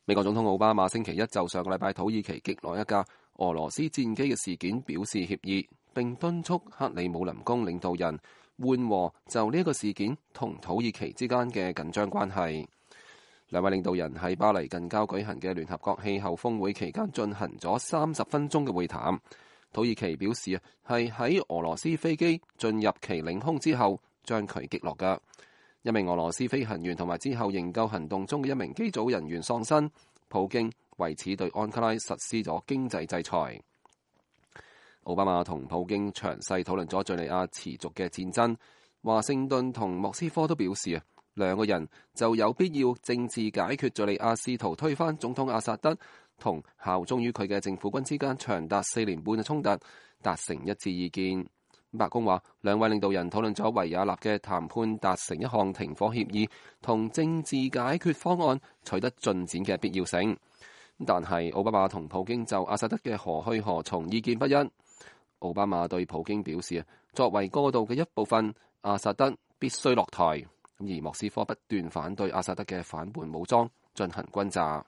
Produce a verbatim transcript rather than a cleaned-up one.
美國總統奧巴馬星期一就上個禮拜土耳其擊落一架俄羅斯戰機嘅事件表示歉意，並敦促克里姆林宮領導人緩和就呢一個事件同土耳其之間嘅緊張關係。兩位領導人喺巴黎近郊舉行嘅聯合國氣候峰會期間進行咗三十分鐘嘅會談。土耳其表示啊，係喺俄羅斯飛機進入其領空之後將佢擊落嘅。一名俄羅斯飛行員同埋之後營救行動中嘅一名機組人員喪生。普京為此對安卡拉實施咗經濟制裁。奧巴馬同普京詳細討論咗敘利亞持續嘅戰爭。華盛頓同莫斯科都表示啊，兩個人就有必要政治解決敘利亞試圖推翻總統阿薩德同效忠於佢嘅政府軍之間長達四年半嘅衝突達成一致意見。白宮話，兩位領導人討論咗維也納嘅談判達成一項停火協議同政治解決方案取得進展嘅必要性。但係奧巴馬同普京就阿薩德嘅何去何從意見不一。奧巴馬對普京表示，作為過渡嘅一部分，阿薩德必須落台。而莫斯科不斷反對阿薩德嘅反叛武裝進行轟炸。